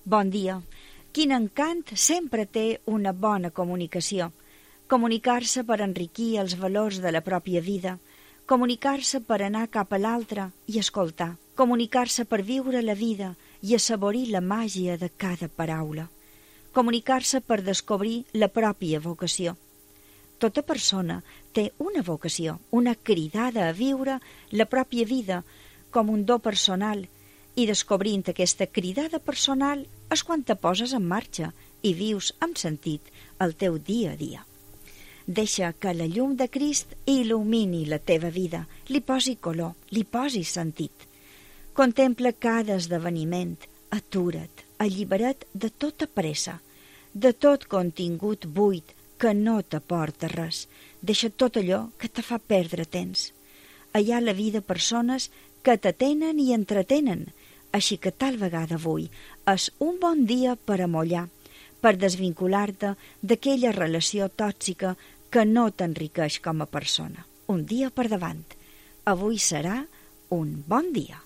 Bon dia. Quin encant sempre té una bona comunicació. Comunicar-se per enriquir els valors de la pròpia vida, comunicar-se per anar cap a l'altre i escoltar, comunicar-se per viure la vida i assaborir la màgia de cada paraula, comunicar-se per descobrir la pròpia vocació. Tota persona té una vocació, una cridada a viure la pròpia vida com un do personal, i descobrint aquesta cridada personal és quan te poses en marxa i vius amb sentit el teu dia a dia. Deixa que la llum de Crist il·lumini la teva vida, li posi color, li posi sentit. Contempla cada esdeveniment, atura't, allibera't de tota pressa, de tot contingut buit que no t'aporta res. Deixa tot allò que te fa perdre temps. Hi ha a la vida persones que t'atenen i entretenen, així que tal vegada avui és un bon dia per amollar, per desvincular-te d'aquella relació tòxica que no t'enriqueix com a persona. Un dia per davant. Avui serà un bon dia.